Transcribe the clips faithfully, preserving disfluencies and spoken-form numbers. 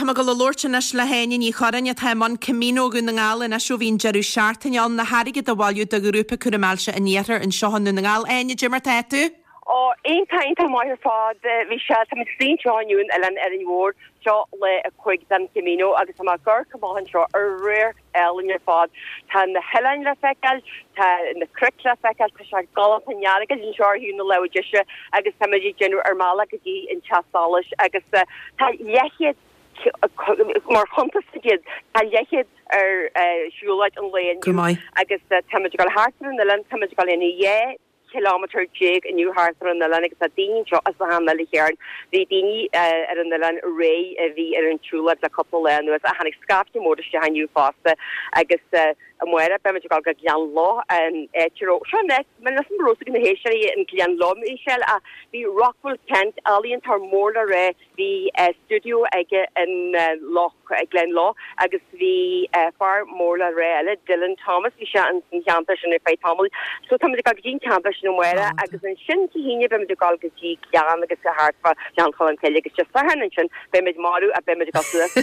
mé ag dul a labhairt anois le hÁine Ní Churráin atá i mbun Camino Dhún na nGall anois ó bhí an deireadh seachtaine ann le hairgead a bhailiú do ghrúpa cúraim ailse an Iarthair anseo i nDún na nGall. Áine, cad é mar tá tú? Ó iontach iontach maith ar fad bhí sé tá sínte inniu ar Oileán Árainn Mhór seo lá a cúig den Camino agus tá amharc go maith anseo ar radharc álainn ar fad. Tá na hoileáin le feiceáil, tá na cnoic le feiceáil, tá sé galánta neargad anseo ar thaobh na láimhe deise agus tá muid ag déanamh ár mbealach go dtí an teach solais agus uh, tá leathchéad mar chuntas iad tá leathchéad ar uh, siúlóid an lae inniu agus uh, tá muid ag dul thart ar an oileán tá muid ag dul ina dhá kilometer déag inniu thart ar an oileán agus tá daoine seo as na han chearn bhí daoine ar an oileán ré a bhí ar an tsiúlóid le cúpla lá anuas a tháinig scaifte mór isteach inniu fosta agus amárach beimid ag go Gleann Ló an éitro seo net men leis an rós na héisteoirí an Gleann Ló Michelle a bhí Rockwell Kent ealaíontóir mór le rá bhí studio aige in Loch Gleann Ló agus bhí fear mór le rá eile Dylan Thomas bhí sé an cheantar sin fé tamall so tá go dtí ceantar sin amárach agus ansin Dé hAoine beimid ag dul go dtí Gleann agus go thart fá Ghleann Cholm Cille agus just an sin beimid marú a beimid go suas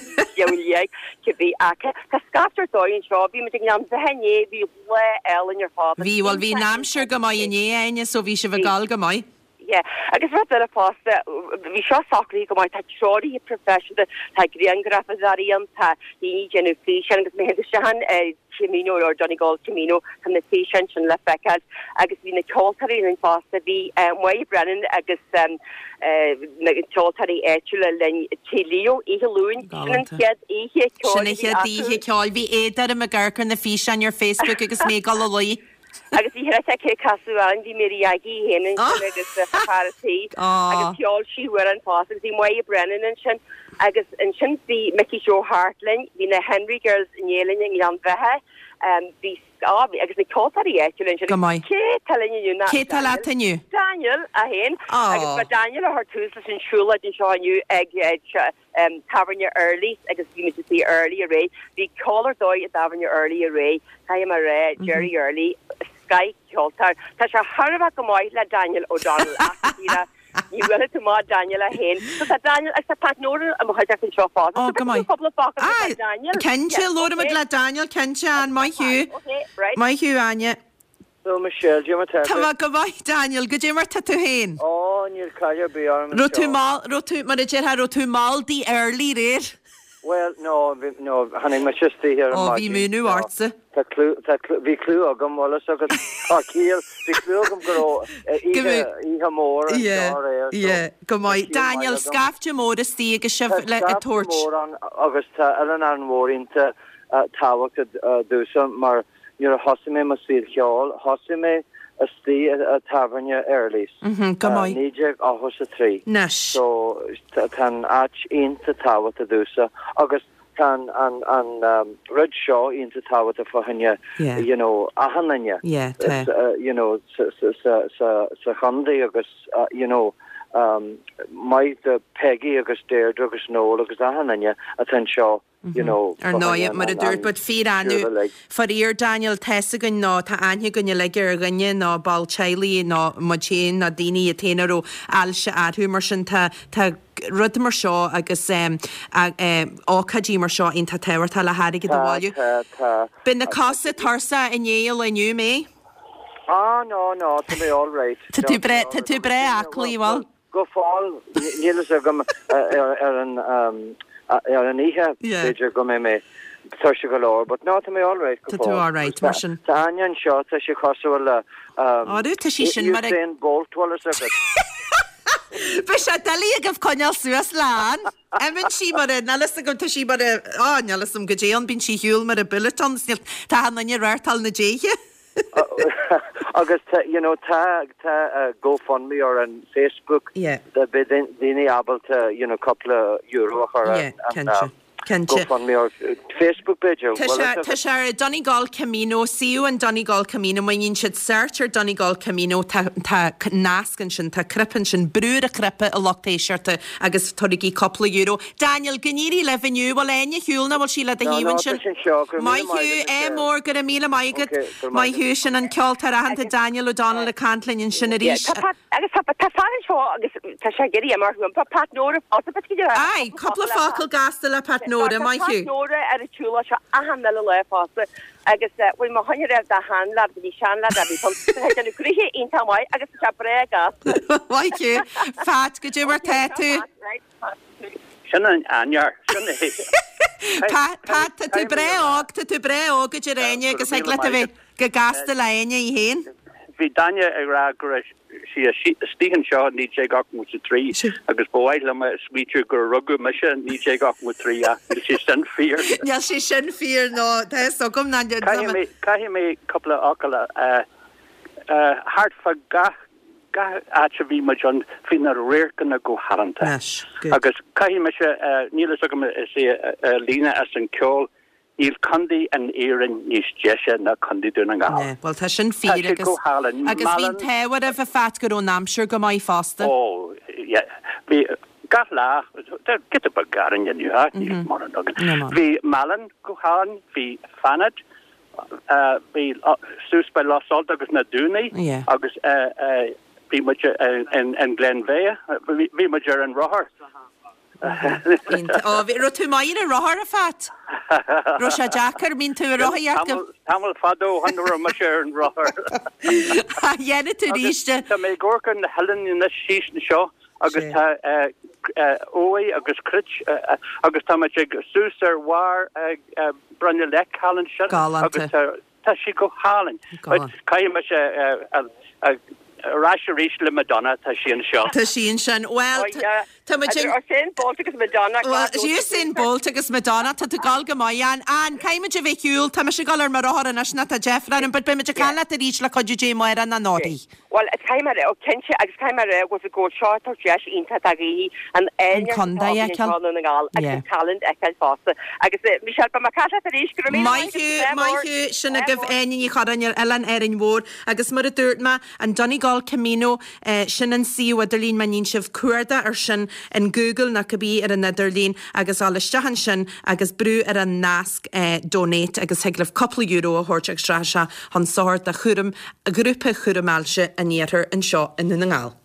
bhí acha Tá scaifte dóin seo bhí muid an bheithné bhí le elan ar fád. Bhí bhfuil bhí an aimsir go maith inné Áine so bhí sibh ag dul go maith. Yeah, agus rud eile fosta bhí seo socraithe go maith tá treoraithe professional tá grianghrafadóirí ann tá daoine déanamh físeán agus mé sean Camino or Donegal Camino tá na físeáin sin le feiceáil agus bhí na ceoltóirí linn fosta bhí Máire Brennan agus um, uh, na ceoltóirí áitiúla linn Leo Oíche Luain sin chéad oíche Sin chéad oíche ceoil bhí éidir me garcar na físeáin ar Facebook agus mé gal luí. agus bhí thre cé caú an bhí mé agi héan agus feartí agus ceol sí war an fás agus bhí Máire Brennan ansin agus ansin bhí Mickey Joe Hart linn bhí na Henry Girls inné linn i nGleann Bheatha um, bhí ah, agus na ceoltóirí áitiúla Go maith. Cé tá linn inniu Cé tá leat inniu? Daniel a haon agus ba Daniel a chuir tús leis an siúlóid anseo inniu ag um, tábhairne Early agus bhí muid sí Early aréir bhí ceol ar dóigh i dtábhairne Early aréir Tá mar ré Jerry Early Sky ceoltóir Tá sé thar go maith le Daniel O'Donnell Ní bhfuil tú má Daniel a haon. So tá Daniel agus tá Pat Nolan am chuideach an seo fá. Ó go maith. Daniel. Cinnte labhróimid le Daniel cinnte an maith thú. Maith thú Áine. So Michelle, Jim Tá má go maith Daniel, goidé mar tá tú féin. Ó níl caiir bí arm. Ro tú mal ro tú mar a déarfá raibh tú mall dtí early aréir. Well, no, no, tháinig mé isteach ar Ó bhí múnú ortsa. Tá bhí clú agam bhfuil agus tá cíal bhí clú agam go oíche mór go maith Daniel scaifte mór istigh agus sibh le a tabhairt. Mór agus tá Oileán Árainn Mhór iontach tábhachtach domhsa mar nuair a thosaigh mé mo saol ceoil, thosaigh mé istigh i tábhairne Early's. Go maith. Naoi déag ochtó a trí. Anois. So tá an áit iontach tábhachtach domhsa agus tá an an rud seo iontach tábhachtach fá choinne you know achan duine you know sa sa sa chontae agus uh, you know um maith do Peggy agus Deirdre agus Noel agus achan duine atá anseo you know Ar ndóigh mar a dúirt bud fíor faraor Daniel tá a fhios againn ná tá aithne againn uilig ar dhuine ná ball teaghlaigh ná muid féin ná daoine a téana ó ailse arthú mar sin tá tá rud mar seo agus um, ócáidí mar seo iontach tábhachtach le hairgead a bhailiú. Bíonn na cosa tuirseach i ndiaidh inniu mé? Ah no no tá mé all right. Tá tú breá tá tú breá aclaí bhfuil? Go fóill níl a fhios agam ar an ar an oíche b'fhéidir go mbeidh mé tuirseach go leor, but no tá mé all right Tá tú all right mar sin. Tá an seo tá sé cosúil le Áú tá sí sin mar Usain Bolt bhfuil a fhios agat. Bhí sé doiligh agaibh coinneáil suas lán. Imíonn sí mar a níl a fhios agam tá sí mar a á níl a fhios agam goidé an bíonn sí shiúl mar a bullet an tá an duine rártáil na déithe. agus you know tá tá uh, GoFundMe ar an Facebook yeah. beidh daoine ábalta you know cúpla euro a chur yeah, an, um, GoFundMe or Facebook b'fhéidir. Tá sé tá sé ar Donegal Camino, suíomh an Donegal Camino, má dhéanann siad search ar Donegal Camino tá tá nasc ansin, tá cnaipe ansin, brú ar an chnaipe a lucht éisteachta agus tabhairigí cúpla euro. Daniel, go n-éirí libh inniu, bhfuil Áine ar shiúl nó bhfuil sí le do No, thaobh no, ansin? tá sin seo, go raibh Maith míle maith thú, agat, é Michelle. mór, go raibh míle maith agat. Okay, go raibh Maith maith thú, sin an ceoltóir aitheanta Daniel O'Donnell ag caint linn ansin Yeah, arís. tá Pat agus tá tá fear anseo agus tá sé ag iarraidh imeacht uaim. Tá Pat Nóra fosta, but go Aye, cúpla focal gasta le Pat Nóra, maith Pat thú. Nóra ar an tsiúlóid seo achan uile lá fosta agus bhfuil mo choinne raibh da sheanleaid go dtí seanleaid a bhí chun déanamh gnoithe iontach maith agus tá sé breá gasta. Maith thú. Pat, goidé mar tá tú. Sin an ainear sin é. Pat, Pat, tá tú breá óg, tá tú breá óg a deir Áine agus ag le a bheith go gasta le Áine í féin. Bhí Daniel ag rá go raibh sí istigh anseo naoi déag ochtó a trí agus ba mhaith liom a smaoitiú gur rugadh mise naoi déag ochtó a trí níl sé sin fíor. Níl sé sin fíor nó tá agam ná Caithfidh mé cúpla focal thart fá gach gach áit a bhí muid ann bhí na radharcanna go haireanta. Agus caithfidh mise níl a fhios agam is é líne as an ceol, níl contae in Éirinn níos deise ná Contae Dhún na nGall. Well tá sin fíor agus agus bhí tear a bh fat go an aimsir go maith fosta. Ó bhí gach lá giota beag garainn inniu mar an Bhí Málainn go hálainn, bhí Fanad, bhí suas by Lough Salt agus na Dúnaí agus bhí muid in Glenveagh, bhí muid ar an rothar. Ó raibh tú maith ar rothar a Phat? Raibh sé deacair mín tú a rothaíocht go Tamall fada ó shin raibh mise ar an rothar. Dhéanfaidh tú arís. Tá mé ag amharc ar na hoileáin na síos anseo agus tá uaigh agus cruit agus tá muid ag suas ar bharr Broinninn Leic thall ansin agus tá sí go hálainn. Caithfidh mise ar ais arís le Madonna tá sí anseo. Tá sí ansin well Tá Usain Bolt agus Madonna Usain Bolt agus Madonna tá tú gal go maith an an caithfimid a bheith ar shiúl tá mise ag dul ar mo rothar anois ná tá deifir orm, but beimid ag caint leat arís le cuidiú Dé amárach nó anóirí. Well caithfidh mé ó cinnte agus caithfidh mé go go seo tá deis iontach do dhaoine an An contae a fheiceáil. na nGall agus talent a fheiceáil fosta agus Michelle ba cat arís go Maith thú maith thú sin agaibh Áine Ní Churráin ar Oileán Árainn Mhór agus mar a dúirt mé an Donegal Camino sin an suíomh idirlín má dhéanann sibh cuardach ar sin in Google nó cibé ar an idirlíon agus dul isteach ansin agus brú ar an nasc donate agus thig libh cúpla euro a thabhairt agus rachaidh sé chun sochair do chúram grúpa chúram ailse an iarthair anseo i nDún na nGall.